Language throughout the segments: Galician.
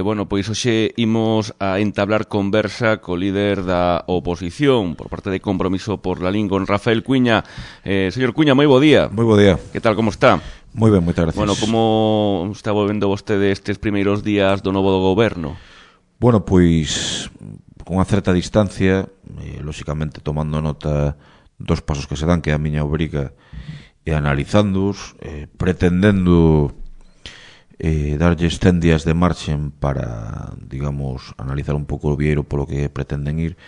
bueno, pois hoxe imos a entablar conversa co líder da oposición por parte de Compromiso por la Lín, con Rafael Cuíña. Señor Cuíña, moi bo día. Moi bo día. Que tal, como está? Moi ben, moitas gracias. Bueno, como está volvendo vostede estes primeiros días do novo do goberno? Bueno, pois con unha certa distancia, lóxicamente tomando nota dos pasos que se dan, que é a miña obriga, e analizándoos, pretendendo darlles 100 días de marxen para, digamos, analizar un pouco o vieiro polo que pretenden ir,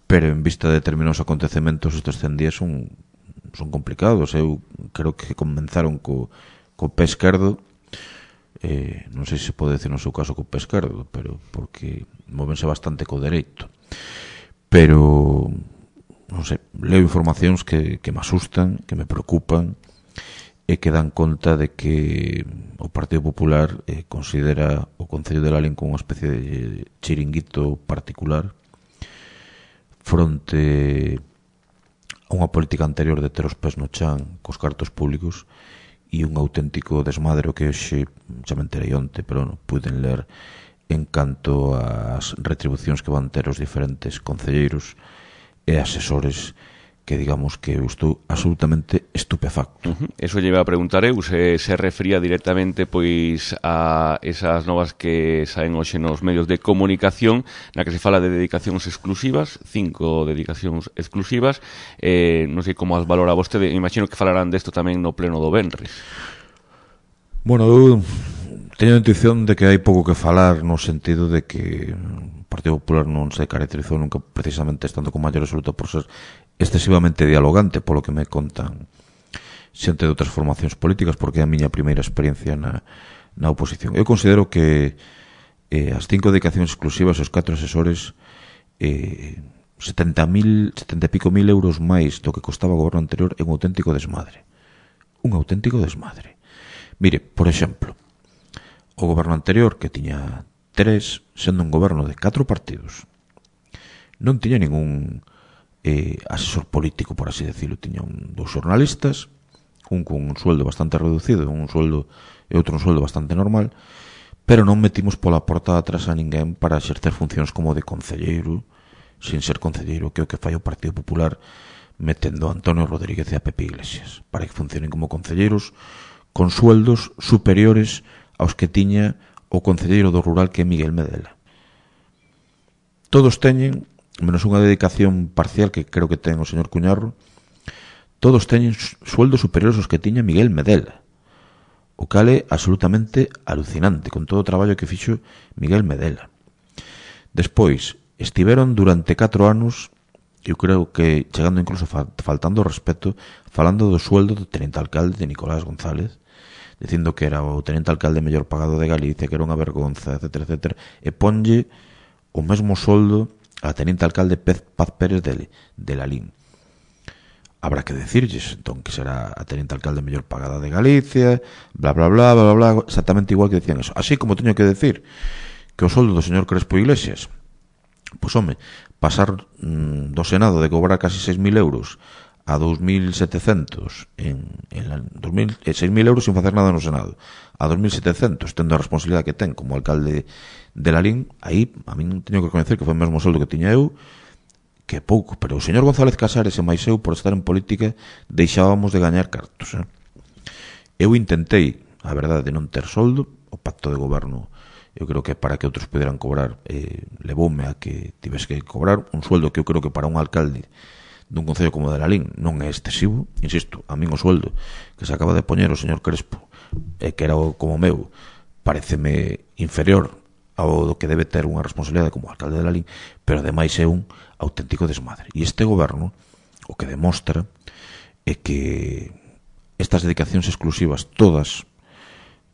pero en vista de determinados acontecementos estes 100 días son complicados. Eu creo que comenzaron co pé esquerdo, non sei se pode decir no seu caso co pé esquerdo, pero porque móvense bastante co dereito, pero non sei, leo informacións que me asustan, que me preocupan e que dan conta de que o Partido Popular considera o Concello de Lalín como unha especie de chiringuito particular fronte a unha política anterior de ter os pés no chan cos cartos públicos e un auténtico desmadre que hoxe xa me enterei onte, pero non puden ler en canto ás retribucións que van ter os diferentes concelleiros e asesores, que digamos que eu estou absolutamente estupefacto. Eso lle iba a preguntar eu, se refería directamente pois a esas novas que saen hoxe nos medios de comunicación, na que se fala de dedicacións exclusivas, 5 dedicacións exclusivas, non sei como as valora vostede, imagino que falarán desto tamén no pleno do venres. Bueno, eu teño a intuición de que hai pouco que falar no sentido de que o Partido Popular non se caracterizou nunca precisamente estando con maior absoluta por ser excesivamente dialogante, polo que me contan xente de outras formacións políticas, porque é a miña primeira experiencia na oposición. Eu considero que as 5 dedicacións exclusivas, os 4 asesores, 70 e pico mil euros máis do que costaba o goberno anterior, é un auténtico desmadre. Un auténtico desmadre. Mire, por exemplo, o goberno anterior, que tiña 3, sendo un goberno de 4 partidos, non tiña ningún asesor político, por así decirlo. Tiña dos xornalistas, un con un sueldo bastante reducido e outro un sueldo bastante normal, pero non metimos pola porta atrás a ninguén para exercer funcións como de concelleiro, sin ser concelleiro, que é o que fai o Partido Popular, metendo a Antonio Rodríguez e a Pepe Iglesias para que funcionen como concelleiros con sueldos superiores aos que tiña o concelleiro do rural, que é Miguel Medela. Todos teñen, menos unha dedicación parcial que creo que ten o señor Cuñarro, todos teñen sueldos superiores aos que tiña Miguel Medela, o cal é absolutamente alucinante con todo o traballo que fixo Miguel Medela. Despois, estiveron durante 4 anos, eu creo que chegando incluso faltando o respeto, falando do sueldo do teniente alcalde de Nicolás González, dicindo que era o teniente alcalde mellor pagado de Galicia, que era unha vergonza, etcétera, etcétera, e ponlle o mesmo soldo a teniente alcalde Paz Pérez de Lalín. Habrá que decirlles, entón, que será a teniente alcalde mellor pagada de Galicia, bla, bla, bla, bla, bla, exactamente igual que decían eso. Así como teño que decir que o soldo do señor Crespo Iglesias, pois, home, pasar do Senado de cobrar casi 6.000 euros a 2.700 6.000 euros sin facer nada no Senado, a 2.700 tendo a responsabilidade que ten como alcalde de Lalín, aí a mí non teño que reconocer que foi o mesmo soldo que tiña eu, que pouco, pero o señor González Casares e máis eu, por estar en política, deixábamos de gañar cartos. Eu intentei, a verdade, de non ter soldo. O pacto de goberno, eu creo que para que outros puderan cobrar, levoume a que tivese que cobrar un sueldo que eu creo que para un alcalde dun concello como de Lalín non é excesivo. Insisto, a min o sueldo que se acaba de poñer o señor Crespo, que era como meu, pareceme inferior ao do que debe ter unha responsabilidade como alcalde de Lalín, pero ademais é un auténtico desmadre. E este goberno o que demostra é que estas dedicacións exclusivas todas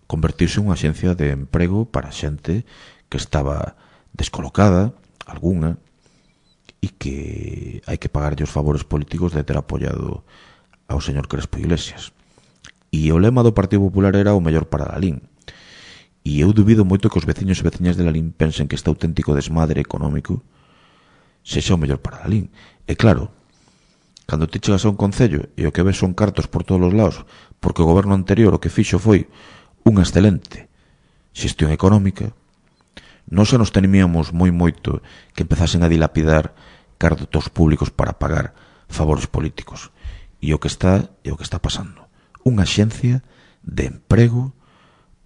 convertirse en unha axencia de emprego para xente que estaba descolocada, algunha, e que hai que pagarlle os favores políticos de ter apoiado ao señor Crespo Iglesias. E o lema do Partido Popular era o mellor para Lalín. E eu dubido moito que os veciños e veciñas de Lalín pensen que este auténtico desmadre económico sexa o mellor para Lalín. E claro, cando te chegas a un concello e o que ves son cartos por todos os lados, porque o goberno anterior o que fixo foi unha excelente xestión económica, Non xa nos temíamos moito que empezasen a dilapidar cartos públicos para pagar favores políticos. E o que está pasando. Unha xencia de emprego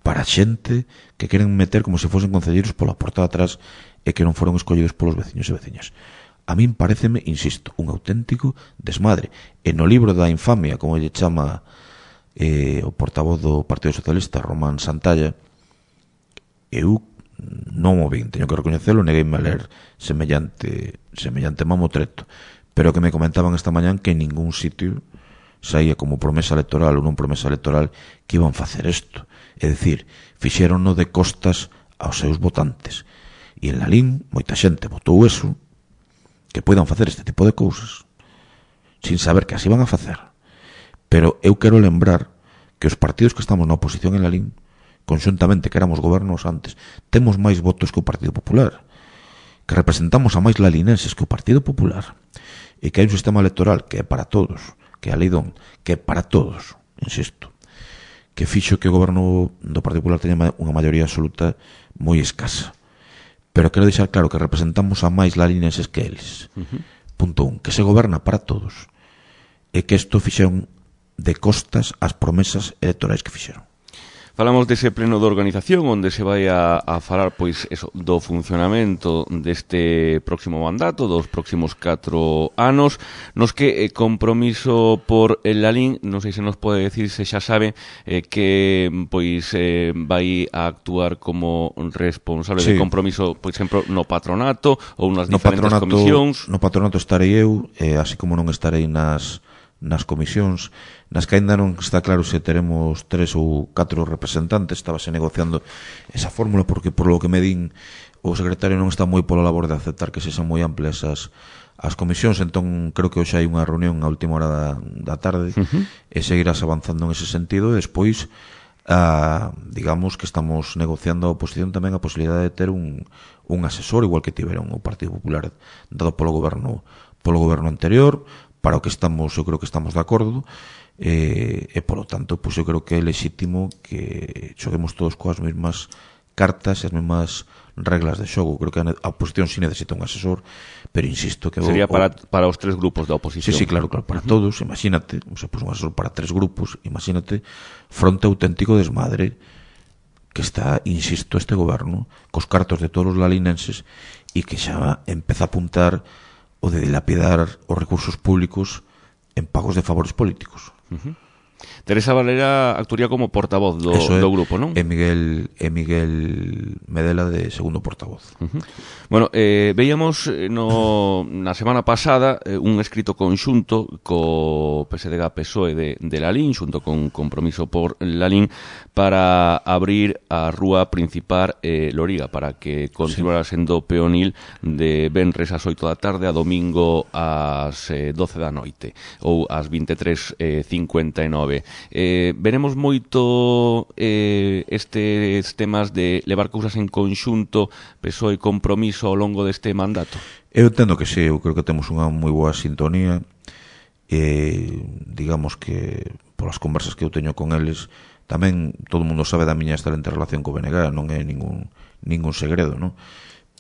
para xente que queren meter como se fosen concelleiros pola porta de atrás e que non foron escollidos polos veciños e veciñas. A min pareceme, insisto, un auténtico desmadre. E no libro da infamia, como lle chama o portavoz do Partido Socialista, Román Santalla, eu non o vin, teño que recoñecelo, negueime a ler semellante mamotreto, pero que me comentaban esta mañán que en ningún sitio saía como promesa electoral ou non promesa electoral que iban facer isto. É dicir, fixéronno de costas aos seus votantes. E en Lalín, moita xente votou eso, que poidan facer este tipo de cousas, sin saber que así van a facer. Pero eu quero lembrar que os partidos que estamos na oposición en Lalín, conxuntamente que éramos gobernos antes, temos máis votos que o Partido Popular, que representamos a máis lalinenses que o Partido Popular, e que hai un sistema electoral que é para todos, que é a lei DON, que é para todos, insisto, que fixo que o goberno do Partido Popular teña unha maioría absoluta moi escasa. Pero quero deixar claro que representamos a máis lalinenses que eles. Punto 1, que se goberna para todos, e que isto fixeron de costas as promesas electorais que fixeron. Falamos dese pleno de organización onde se vai a falar pois eso, do funcionamento deste próximo mandato, dos próximos 4 anos, nos que Compromiso por el Lalín, non sei se nos pode decir se xa sabe que pois vai a actuar como responsable de Compromiso, por exemplo, no patronato ou nas diferentes comisións. No patronato estarei eu, así como non estarei nas comisións, nas que ainda non está claro se teremos 3 ou 4 representantes. Estábase negociando esa fórmula porque, por lo que me din, o secretario non está moi pola labor de aceptar que se sean moi amplias as comisións. Entón creo que hoxe hai unha reunión a última hora da tarde e seguirás avanzando en ese sentido. E despois digamos que estamos negociando a oposición tamén a posibilidade de ter un asesor, igual que tiveron o Partido Popular dado polo goberno anterior, para o que estamos, eu creo que estamos de acordo, e polo tanto, pois eu creo que é legítimo que xoguemos todos coas mesmas cartas e as mesmas reglas de xogo. Creo que a oposición sí necesita un asesor, pero insisto que sería para os 3 grupos da oposición. Sí, claro, para todos. Imagínate, un asesor para 3 grupos, imagínate, fronte auténtico desmadre que está, insisto, este goberno cos cartos de todos os lalinenses e que xa empeza a apuntar o de dilapidar os recursos públicos en pagos de favores políticos. Teresa Valera actuaría como portavoz do grupo, non? E Miguel Medela de segundo portavoz. Bueno, veíamos na semana pasada un escrito conxunto co PSDG-PSOE de Lalín, xunto con Compromiso por Lalín, para abrir a rúa principal Loriga, para que continuara sendo peonil de venres ás 8 da tarde a domingo ás 12 da noite, ou ás 23:59. Veremos moito estes temas de levar cousas en conxunto, PSOE e Compromiso ao longo deste mandato. Eu entendo que sí, eu creo que temos unha moi boa sintonía, digamos que polas conversas que eu teño con eles, tamén todo o mundo sabe da miña excelente relación co BNG, non é ningún segredo, non?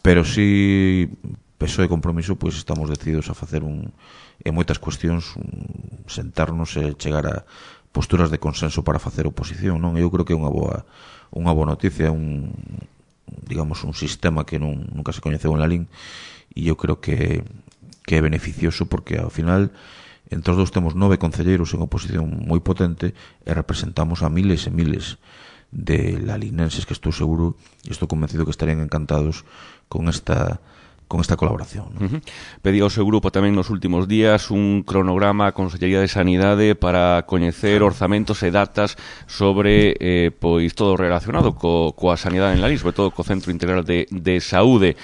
Pero si PSOE e Compromiso, pois estamos decididos a facer en moitas cuestións sentarnos e chegar a posturas de consenso para facer oposición, non? Eu creo que é unha boa noticia, digamos un sistema que nunca se coñeceu en Lalín, e eu creo que é beneficioso porque ao final entre os dous temos 9 concelleiros en oposición moi potente e representamos a miles e miles de lalinenses que estou seguro e estou convencido que estarían encantados con esta colaboración, ¿no? Pedía ao seu grupo tamén nos últimos días un cronograma á Consellería de Sanidade para coñecer orzamentos e datas sobre pois todo relacionado coa sanidade en Lalín, sobre todo co Centro Integral de Saúde.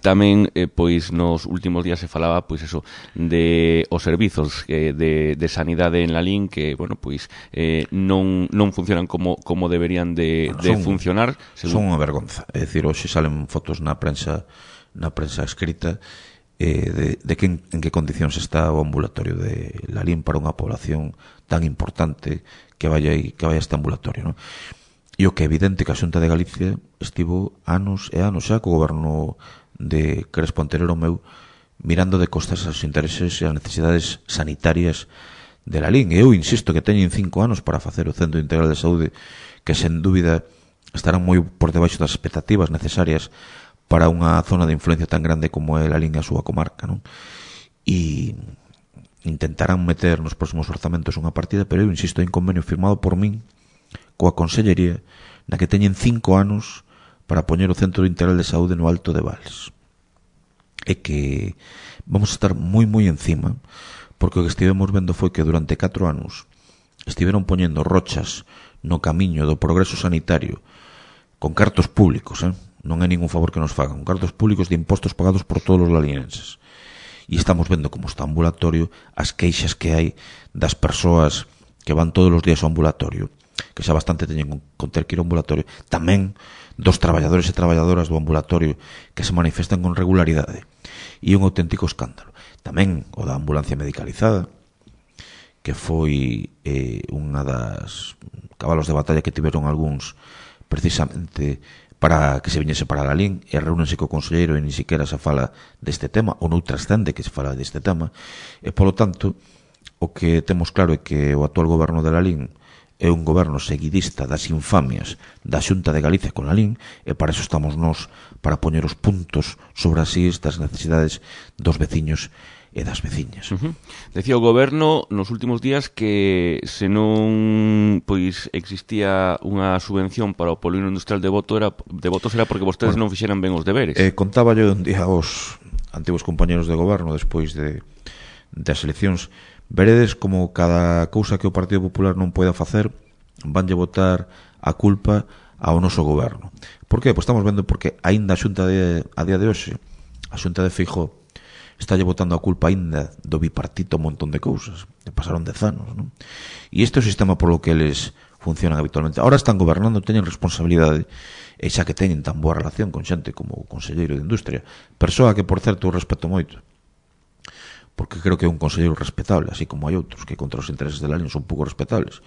Tamén pois nos últimos días se falaba pois eso de os servizos de sanidade en Lalín que, bueno, pois non funcionan como deberían de funcionar. Son unha vergonza. É dicir, hoxe salen fotos na prensa escrita de que en que condicións está o ambulatorio de Lalín para unha población tan importante que vaya a este ambulatorio, ¿no? E o que é evidente que a Xunta de Galicia estivo anos e anos xa co goberno de Crespo anterior ao meu mirando de costas aos intereses e as necesidades sanitarias de la LIN. E eu insisto que teñen 5 anos para facer o Centro Integral de Saúde, que sen dúbida estarán moi por debaixo das expectativas necesarias para unha zona de influencia tan grande como é la LIN e a súa comarca, non? E intentarán meter nos próximos orzamentos unha partida, pero eu insisto, en convenio firmado por min coa Consellería, na que teñen 5 anos para poñer o Centro Integral de Saúde no Alto de Vals. E que vamos a estar moi encima, porque o que estivemos vendo foi que durante 4 anos estiveron poñendo rochas no camiño do progreso sanitario con cartos públicos, non é ningún favor que nos fagan, con cartos públicos de impostos pagados por todos os lalinenses. E estamos vendo como está o ambulatorio, as queixas que hai das persoas que van todos os días ao ambulatorio, que xa bastante teñen con ter que ir ao ambulatorio, tamén dos traballadores e traballadoras do ambulatorio que se manifestan con regularidade. E un auténtico escándalo. Tamén o da ambulancia medicalizada, que foi unha das cabalos de batalla que tiveron algúns precisamente para que se viñese para a LIN, e reúnense co conselleiro e ni siquiera se fala deste tema, ou non trascende que se fala deste tema, e polo tanto o que temos claro é que o actual goberno de la LIN é un goberno seguidista das infamias da Xunta de Galicia con a LIN, e para eso estamos nós, para poñer os puntos sobre as is das necesidades dos veciños e das veciñas. Decía o goberno nos últimos días que se non pois existía unha subvención para o polígono industrial de Botos era porque vostedes non fixeran ben os deberes. Contaba yo un día aos antigos compañeros de goberno despois das eleccións. Veredes como cada cousa que o Partido Popular non poida facer vanlle botar a culpa ao noso goberno. Por que? Pois estamos vendo porque aínda a Xunta a día de hoxe, a Xunta de Feijóo, estalle botando a culpa aínda do bipartito un montón de cousas. Pasaron 10 anos, non? E este é o sistema polo que eles funcionan habitualmente. Ahora están gobernando, teñen responsabilidade, e xa que teñen tan boa relación con xente como o conselleiro de Industria, persoa que, por certo, eu respeto moito, porque creo que é un conselleiro respetable, así como hai outros que contra os intereses de la LIN son pouco respetables.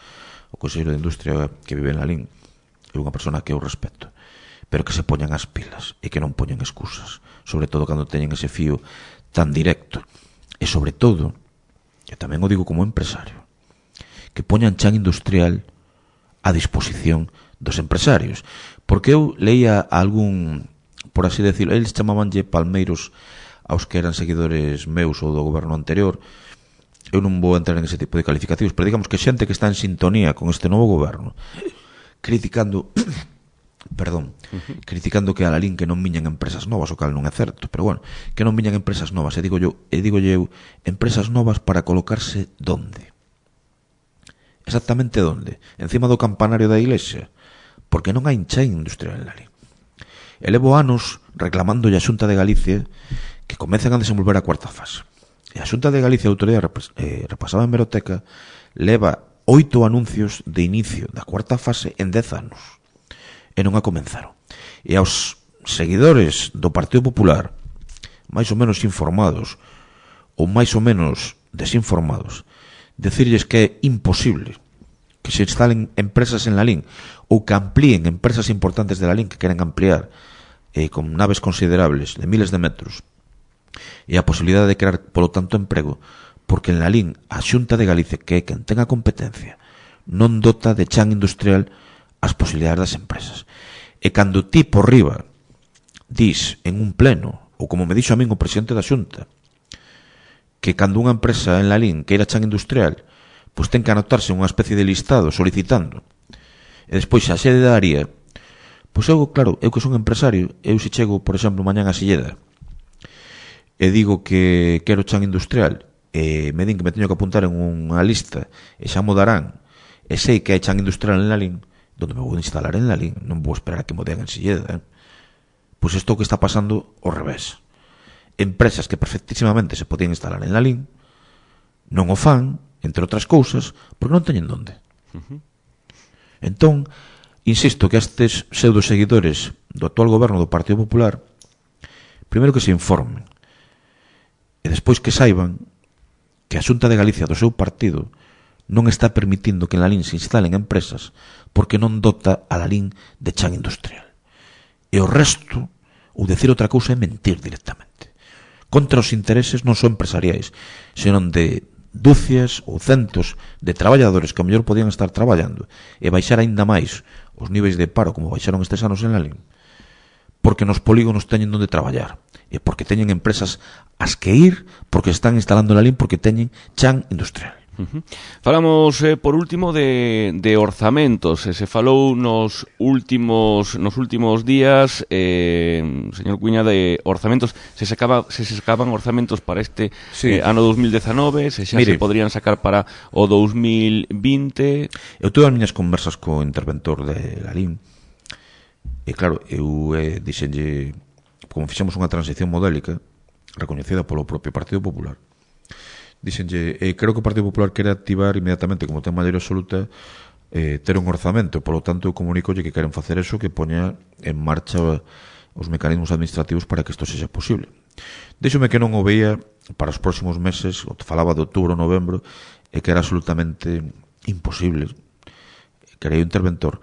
O conselleiro de Industria que vive en la LIN é unha persona que eu respeto, pero que se poñan as pilas e que non poñan excusas, sobre todo cando teñen ese fío tan directo, e sobre todo, e tamén o digo como empresario, que poñan chan industrial a disposición dos empresarios, porque eu leía algún, por así decirlo, eles chamabanlle palmeiros aos que eran seguidores meus ou do goberno anterior. Eu non vou entrar en ese tipo de calificativos, pero digamos que xente que está en sintonía con este novo goberno, criticando que a la LIN que non viñan empresas novas, o cal non é certo, pero bueno, que non viñan empresas novas, e digo eu, empresas novas para colocarse donde? Exactamente donde? Encima do campanario da iglesia? Porque non hai chan industrial en la LIN. E levo anos reclamándolle a Xunta de Galicia que comecen a desenvolver a cuarta fase. E a Xunta de Galicia, a autoridade repasada en Meroteca, leva 8 anuncios de inicio da cuarta fase en 10 anos. E non a comenzaron. E aos seguidores do Partido Popular, máis ou menos informados, ou máis ou menos desinformados, decirlles que é imposible que se instalen empresas en la LIN, ou que amplíen empresas importantes de la LIN que queren ampliar con naves considerables de miles de metros, e a posibilidade de crear, polo tanto, emprego, porque en la LIN a Xunta de Galicia, que é quen ten a competencia, non dota de chan industrial as posibilidades das empresas. E cando ti por riba dis en un pleno, ou como me dixo a min o presidente da Xunta, que cando unha empresa en la LIN queira chan industrial, pois ten que anotarse unha especie de listado solicitando, e despois a sede da área, pois eu, claro, eu que son empresario, eu se chego, por exemplo, mañán a Silleda, e digo que quero chan industrial, e me din que me teño que apuntar en unha lista, e xa mo darán, e sei que hai chan industrial en la LIN, donde me vou instalar en la LIN, non vou esperar a que mo den en Silleda. Pois isto que está pasando ao revés. Empresas que perfectísimamente se podían instalar en la LIN non o fan, entre outras cousas, porque non teñen donde. Entón, insisto que estes pseudoseguidores do actual goberno do Partido Popular, primeiro que se informen, e despois que saiban que a Xunta de Galicia do seu partido non está permitindo que en Lalín se instalen empresas porque non dota a Lalín de chan industrial. E o resto, ou decir outra cousa, é mentir directamente. Contra os intereses non só empresariais, senón de dúcias ou centos de traballadores que a mellor podían estar traballando e baixar aínda máis os niveis de paro como baixaron estes anos en Lalín, porque nos polígonos teñen onde traballar e porque teñen empresas as que ir, porque están instalando en Lalín, porque teñen chan industrial. Falamos por último de orzamentos. Se falou nos últimos días, señor Cuña, de orzamentos. Se sacaban orzamentos para este ano 2019, se xa se podrían sacar para o 2020. Eu tuve as miñas conversas co interventor de Lalín e claro, eu dixenlle, como fixemos unha transición modélica recoñecida polo propio Partido Popular, dixenlle, creo que o Partido Popular quere activar inmediatamente, como ten maioría absoluta, ter un orzamento, polo tanto eu comunicolle que queren facer eso, que poña en marcha os mecanismos administrativos para que isto sexa posible. Díxome que non o veía para os próximos meses, o falaba de outubro ou novembro, e que era absolutamente imposible, que era o interventor,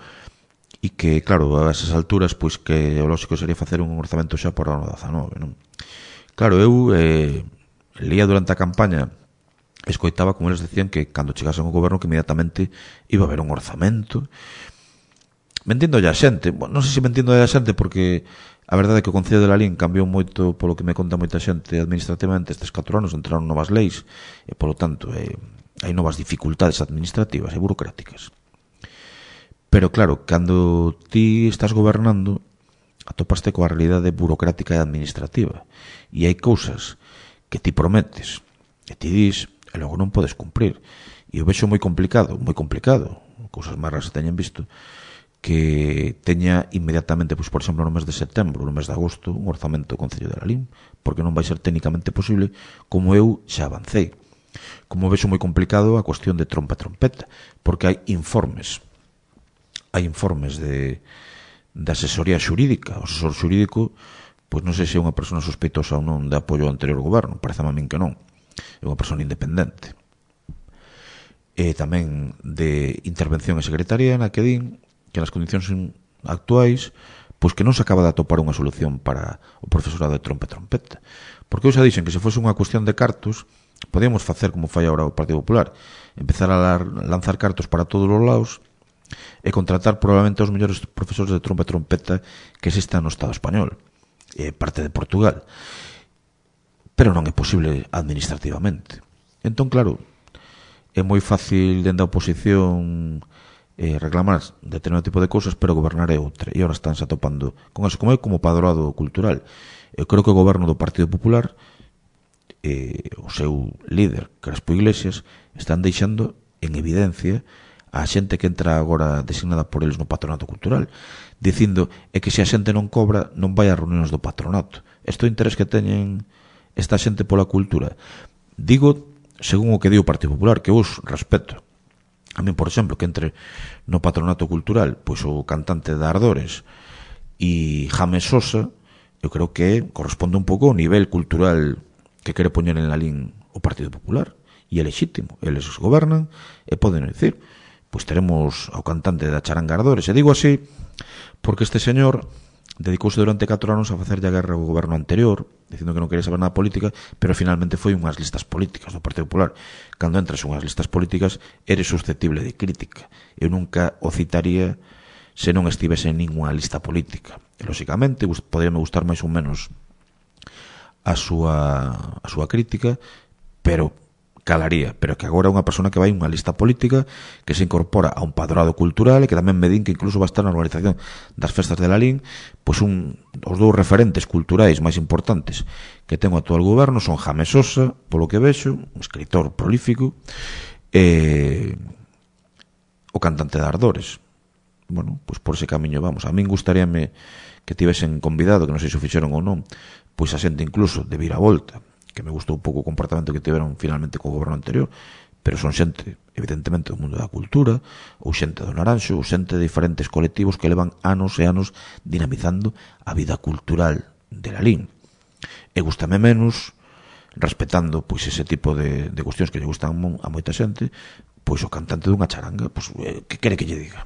e que, claro, a esas alturas, pois que o lógico sería facer un orzamento xa para o ano 19, non? Claro, eu leía durante a campaña, escoitaba como eles decían que cando chegasen ao goberno que inmediatamente iba a haber un orzamento. Mentindo a xente, non sei se mentindo a xente, porque a verdade é que o Concello de Lalín cambiou moito, polo que me conta moita xente administrativamente estes 4 anos, entraron novas leis e polo tanto hai novas dificultades administrativas e burocráticas. Pero claro, cando ti estás gobernando atopaste coa realidade burocrática e administrativa e hai cousas que ti prometes e ti dis e logo non podes cumprir. E eu vexo moi complicado, cousas máis raras que teñen visto, que teña inmediatamente, pois, por exemplo, no mes de setembro, no mes de agosto, un orzamento do Concello de Lalín, porque non vai ser técnicamente posible, como eu xa avancei. Como vexo moi complicado a cuestión de trompa e trompeta, porque hai informes de asesoría xurídica. O asesor xurídico, pois non sei se é unha persona sospeitosa ou non de apoio ao anterior goberno, parece a min que non. É unha persona independente. E tamén de intervención e secretaría na que din que nas condicións actuais pois que non se acaba de atopar unha solución para o profesorado de trompa e trompeta. Porque eu xa dixen que se fose unha cuestión de cartos podíamos facer como fai agora o Partido Popular, empezar a lanzar cartos para todos os lados e contratar probablemente os mellores profesores de trompa e trompeta que existan no Estado español e parte de Portugal. Pero non é posible administrativamente. Entón, claro, é moi fácil dende a oposición reclamar determinado tipo de cousas, pero gobernar é outra. E agora estánse atopando con eso, como é como padroado cultural. Eu creo que o goberno do Partido Popular, o seu líder, Crespo Iglesias, están deixando en evidencia a xente que entra agora designada por eles no patronato cultural, dicindo é que se a xente non cobra, non vai a reunións do patronato. Isto é o interés que teñen esta xente pola cultura. Digo, según o que di o Partido Popular, que os respeto. A min, por exemplo, que entre no patronato cultural, pois o cantante de Ardores e James Sosa, eu creo que corresponde un pouco ao nivel cultural que quere poñer en Lalín o Partido Popular. E é legítimo, eles os gobernan e poden decir, pois teremos ao cantante da charanga Ardores. E digo así porque este señor dedicouse durante 4 anos a facerlle a guerra ao goberno anterior, dicindo que non quería saber nada de política, pero finalmente foi unhas listas políticas do Partido Popular. Cando entras unhas listas políticas, eres susceptible de crítica. Eu nunca o citaría se non estivese en ninguna lista política. E, lóxicamente, poderíame gustar máis ou menos a súa crítica, pero calaría, pero que agora é unha persona que vai unha lista política que se incorpora a un padroado cultural e que tamén me din que incluso va a estar na organización das festas de Lalín, pois os dous referentes culturais máis importantes que ten o actual goberno son James Sosa, polo que vexo, un escritor prolífico, e o cantante de Ardores. Bueno, pois por ese camiño vamos. A min gustaríame que tivesen convidado, que non sei se o fixeron ou non, pois a xente incluso de Viravolta, que me gustou un pouco o comportamento que tiveron finalmente co goberno anterior, pero son xente, evidentemente, do mundo da cultura, ou xente do Naranxo, ou xente de diferentes colectivos que levan anos e anos dinamizando a vida cultural de Lalín. E gustame menos, respetando pois ese tipo de cuestións que lle gustan a moita xente, pois o cantante dunha charanga, pois que quere que lle diga?